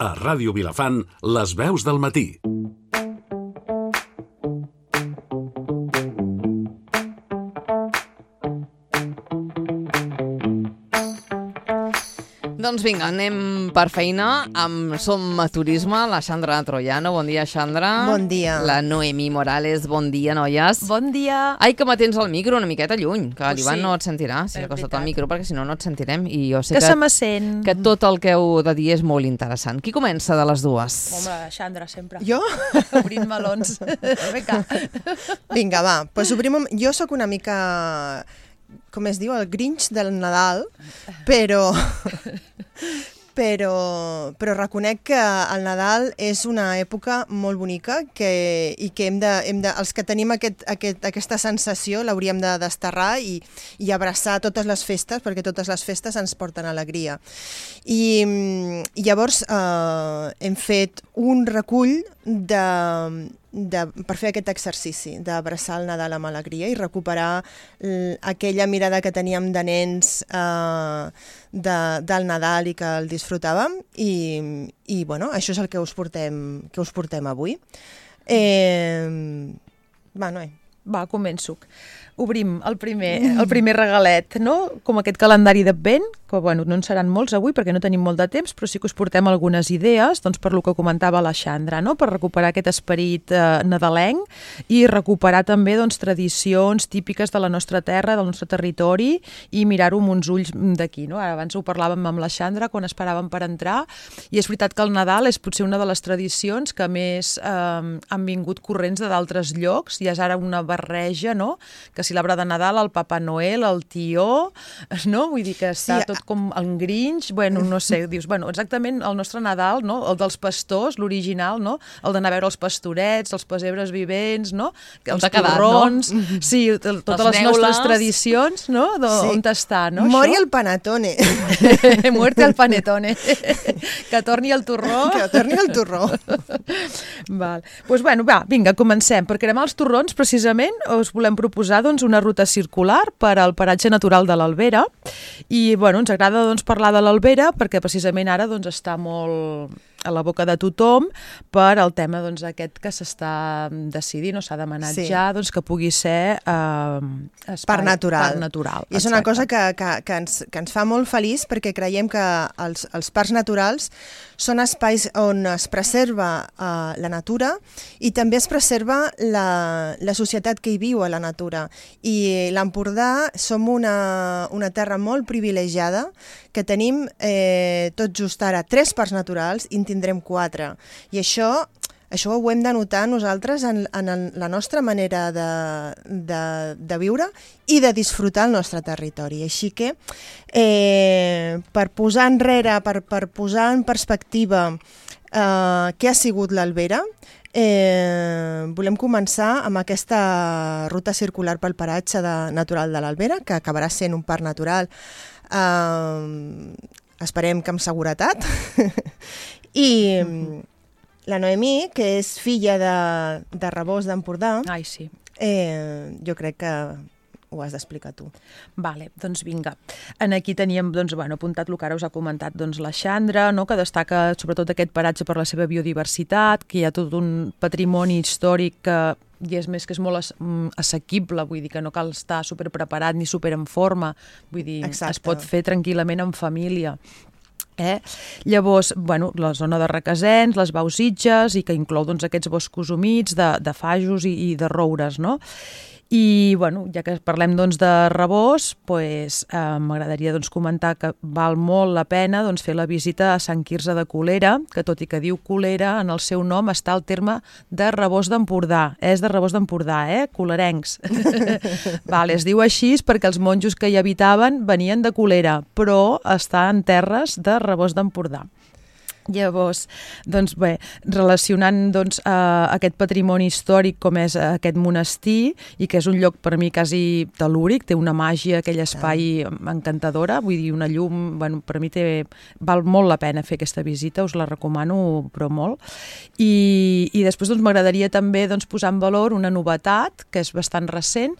A Ràdio Vilafant, les veus del matí. Doncs vinga, anem per feina amb Som a Turisme, la Xandra Troiano. Bon dia, Xandra. Bon dia. La Noemí Morales. Bon dia, noies. Bon dia. Ai, que m'atens el micro una miqueta lluny, que l'Ivan sí. no et sentirà si acostat el micro, perquè si no, no et sentirem. I jo sé que se me sent. que tot el que heu de dir és molt interessant. Qui comença de les dues? Home, Xandra, sempre. Jo? Obrint melons. Vinga. Vinga, va. Pues obrim... Jo sóc una mica, com es diu, el Grinch del Nadal, però reconec que el Nadal és una època molt bonica i que els que tenim aquesta sensació l'hauríem de desterrar i abraçar totes les festes, perquè totes les festes ens porten alegria. I llavors hem fet un recull per fer aquest exercici d'abraçar el Nadal amb alegria i recuperar aquella mirada que teníem de nens del Nadal i que el disfrutàvem i bueno, això és el que us portem avui. Va, Noé. Va, començo. Obrim el primer regalet, no? Com aquest calendari d'Advent, que bueno, no en seran molts avui perquè no tenim molt de temps, però sí que us portem algunes idees, doncs per lo que comentava la Xandra, no? Per recuperar aquest esperit nadalenc i recuperar també doncs, tradicions típiques de la nostra terra, del nostre territori i mirar-ho amb uns ulls d'aquí, no? Ara abans ho parlàvem amb la Xandra quan esperàvem per entrar i és veritat que el Nadal és potser una de les tradicions que més han vingut corrents d'altres llocs i és ara una barreja, no? Que si l'arbre de Nadal, el Papa Noel, el tió, no? Vull dir que està tot com el Grinch, bueno, no sé, dius, bueno, exactament el nostre Nadal, no? El dels pastors, l'original, no? El d'anar a veure els pastorets, els pessebres vivents, no? Els torrons, no? Sí, totes les nostres tradicions, no? On està, no? Mori el panetone. Muerte al panetone. Que torni el torró. Que torni el torró. Val. Doncs bueno, va, vinga, comencem. Per cremar els torrons, precisament, us volem proposar doncs, una ruta circular per al paratge natural de l'Albera i bueno, ens agrada doncs, parlar de l'Albera perquè precisament ara doncs, està molt a la boca de tothom per al tema doncs, aquest que s'està decidint o s'ha demanat ja doncs, que pugui ser espai, parc natural. I és una cosa que ens fa molt feliç perquè creiem que els parcs naturals són espais on es preserva la natura i també es preserva la societat que hi viu a la natura. I l'Empordà som una terra molt privilegiada que tenim tot just ara 3 parcs naturals i en tindrem 4. I això ho hem de notar nosaltres en la nostra manera de viure i de disfrutar el nostre territori. Així que, per posar enrere, per posar en perspectiva què ha sigut l'Albera, volem començar amb aquesta ruta circular pel paratge natural de l'Albera, que acabarà sent un parc natural, esperem que amb seguretat, i la Noemí, que és filla de Rabós d'Empordà, sí. Jo crec que ho has d'explicar tu. Vale, doncs vinga. Aquí teníem apuntat el que ara us ha comentat la Xandra, no? Que destaca sobretot aquest paratge per la seva biodiversitat, que hi ha tot un patrimoni històric que i és més que és molt assequible, vull dir que no cal estar superpreparat ni super en forma, vull dir, es pot fer tranquil·lament en família. Llavors, la zona de Requesens, les Bausitges, i que inclou aquests boscos humits de fajos i de roures, no? I, ja que parlem de Rabós, m'agradaria comentar que val molt la pena fer la visita a Sant Quirze de Colera, que tot i que diu Colera, en el seu nom està el terme de Rabós d'Empordà. És de Rabós d'Empordà, colerencs. Es diu així perquè els monjos que hi habitaven venien de Colera, però està en terres de Rabós d'Empordà. Llavors, relacionant aquest patrimoni històric com és aquest monestir i que és un lloc per mi quasi telúric, té una màgia, aquell espai encantadora, vull dir, una llum, per mi val molt la pena fer aquesta visita, us la recomano però molt. I després m'agradaria també posar en valor una novetat que és bastant recent,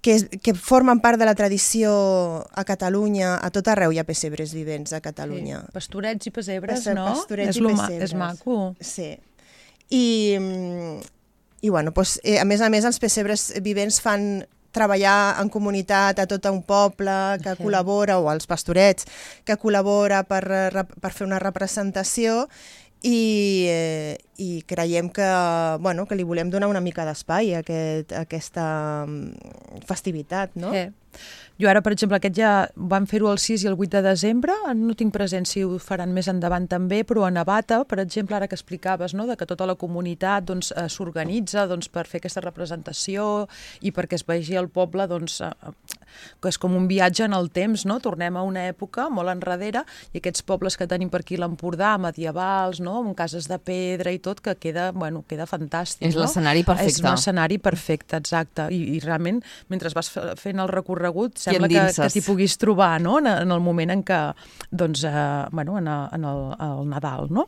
que formen part de la tradició a Catalunya, a tot arreu hi ha pessebres vivents a Catalunya. Sí. Pastorets i pessebres, no? Pastorets i pessebres. És maco. Sí. I bueno, doncs, a més, els pessebres vivents fan treballar en comunitat a tot un poble que col·labora, o als pastorets, que col·labora per fer una representació, i creiem que li volem donar una mica d'espai a aquesta festivitat, no? Jo ara, per exemple, aquest ja van fer-ho el 6 i el 8 de desembre, no tinc present si ho faran més endavant també, però a Navata, per exemple, ara que explicaves, no?, de que tota la comunitat s'organitza per fer aquesta representació i perquè es vegi el poble, que és com un viatge en el temps, no? Tornem a una època molt enrere i aquests pobles que tenim per aquí a l'Empordà, medievals, no?, amb cases de pedra i tot, que queda fantàstic. És l'escenari perfecte. És un escenari perfecte, exacte. I realment, mentre vas fent el recorregut, sembla que t'hi puguis trobar, no?, en el moment en què, en el Nadal, no?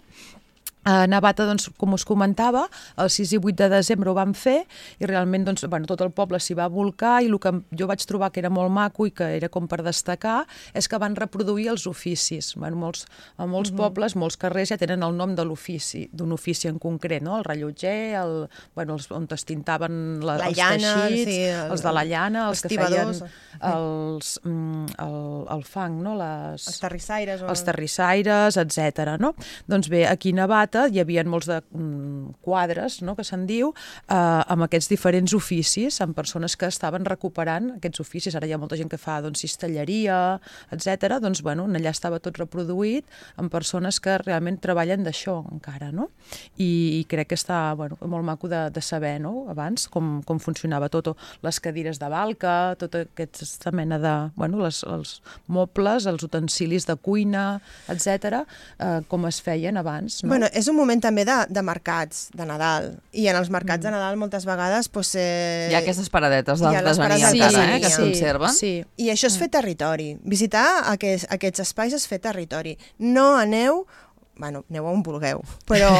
A Navata, com us comentava, el 6 i 8 de desembre ho vam fer i realment tot el poble s'hi va volcar, i el que jo vaig trobar que era molt maco i que era com per destacar és que van reproduir els oficis. A molts pobles, molts carrers ja tenen el nom de l'ofici, d'un ofici en concret, no? El rellotger, on es tintaven els teixits, els de la llana, els que feien el fang, no? Els terrissaires, etc. Doncs bé, aquí a Navata hi havia molts de quadres, no?, que se'n diu, amb aquests diferents oficis, amb persones que estaven recuperant aquests oficis. Ara hi ha molta gent que fa cistelleria, etc. Allà estava tot reproduït amb persones que realment treballen d'això encara, no? I crec que està molt maco de saber, no?, abans com funcionava tot, les cadires de balca, tota aquesta mena de... els mobles, els utensilis de cuina, etc., com es feien abans, no? És un moment també de mercats de Nadal, i en els mercats de Nadal moltes vegades hi ha aquestes paradetes d'artesania encara, que es conserven. I això és fer territori. Visitar aquests espais és fer territori. No aneu on vulgueu, però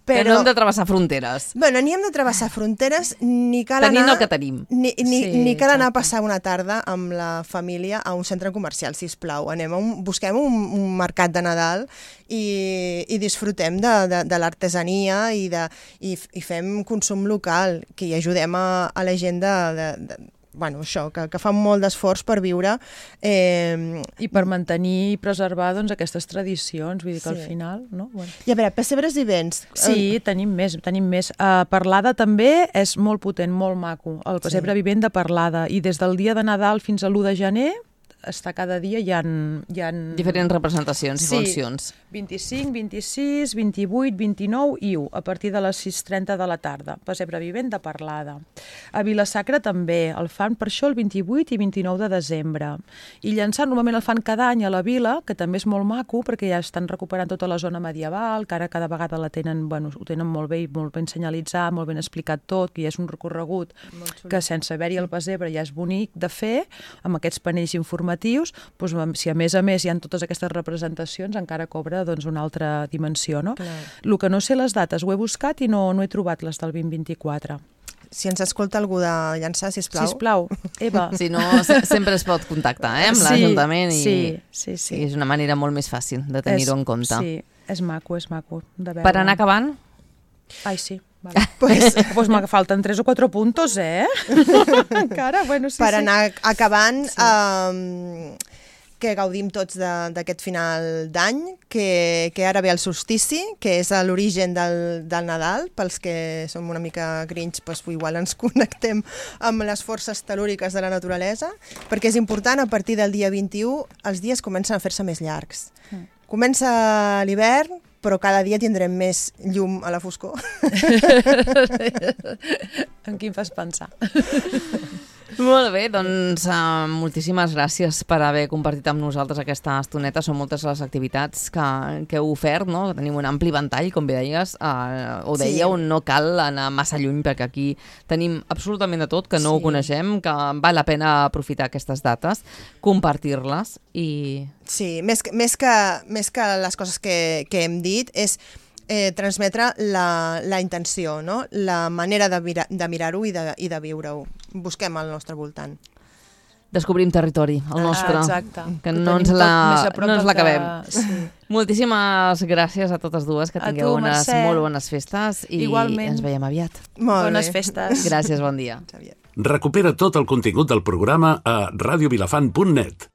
no hem de travessar fronteres. Ni hem de travessar fronteres, ni cal anar... Tenint el que tenim. Ni cal anar a passar una tarda amb la família a un centre comercial, sisplau. Busquem un mercat de Nadal i disfrutem de l'artesania i fem consum local, que hi ajudem a la gent que fan molt d'esforç per viure. I per mantenir i preservar aquestes tradicions, vull dir que al final... No? I a veure, pessebres vivents... Sí, tenim més. Parlada també és molt potent, molt maco. El pessebre vivent de Parlada. I des del dia de Nadal fins a l'1 de gener cada dia hi ha... diferents representacions i funcions. 25, 26, 28, 29 i 1, a partir de les 6:30 de la tarda. Pessebre vivent de Parlada. A Vila-sacra també, el fan per això el 28 i 29 de desembre. I llançant, normalment el fan cada any a la vila, que també és molt maco, perquè ja estan recuperant tota la zona medieval, que ara cada vegada la tenen, ho tenen molt bé i molt ben senyalitzat, molt ben explicat tot, que ja és un recorregut que sense haver-hi el pessebre ja és bonic de fer, amb aquests panells informatius. Si a més hi ha totes aquestes representacions, encara cobra una altra dimensió, no? El que no sé les dates, ho he buscat i no he trobat les del 2024. Si ens escolta algú de llançar, sisplau. Sisplau, Eva. Si no, sempre es pot contactar amb l'Ajuntament i és una manera molt més fàcil de tenir-ho en compte. Sí, és maco de veure. Per anar acabant? Ai, sí. Vale. Pues me falten 3 o 4 puntos, encara, per anar acabant, que gaudim tots d'aquest final d'any, que ara ve el solstici, que és l'origen del Nadal. Pels que som una mica grinch, igual ens connectem amb les forces telúriques de la naturalesa, perquè és important, a partir del dia 21 els dies comencen a fer-se més llargs. Comença l'hivern, però cada dia tindrem més llum a la foscor. En qui em fas pensar? Molt bé, doncs moltíssimes gràcies per haver compartit amb nosaltres aquesta estoneta. Són moltes les activitats que heu ofert, no? Tenim un ampli ventall, com bé deies, ho dèieu, no cal anar massa lluny perquè aquí tenim absolutament de tot, que no ho coneixem, que val la pena aprofitar aquestes dates, compartir-les i... Sí, més que les coses que hem dit, és transmetre la intenció, no? La manera de mirar-ho i de viure-ho. Busquem al nostre voltant. Descobrim territori, el nostre, exacte. que no ens l'acabem. Sí. Moltíssimes gràcies a totes dues, que tingueu unes molt bones festes i igualment. Ens veiem aviat. Bones festes. Gràcies, bon dia. Recupera tot el contingut del programa a radiovilafant.net.